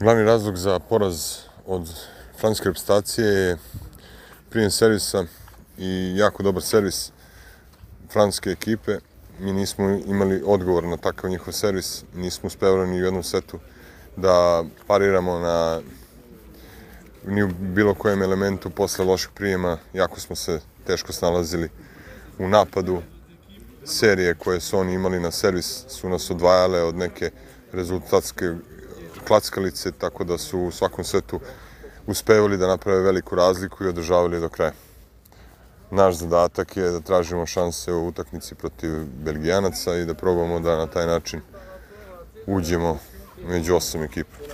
Glavni razlog za poraz od francuske reprezentacije je prijem servisa i jako dobar servis francuske ekipe. Mi nismo imali odgovor na takav njihov servis, nismo uspevali ni u jednom setu da pariramo ni u bilo kojem elementu posle lošeg prijema. Jako smo se teško snalazili u napadu. Serije koje su oni imali na servis su nas odvajale od neke rezultatske klackalice, tako da su u svakom setu uspevali da naprave veliku razliku i održavali do kraja. Naš zadatak je da tražimo šanse u utakmici protiv Belgijanaca i da probamo da na taj način uđemo među 8 ekipa.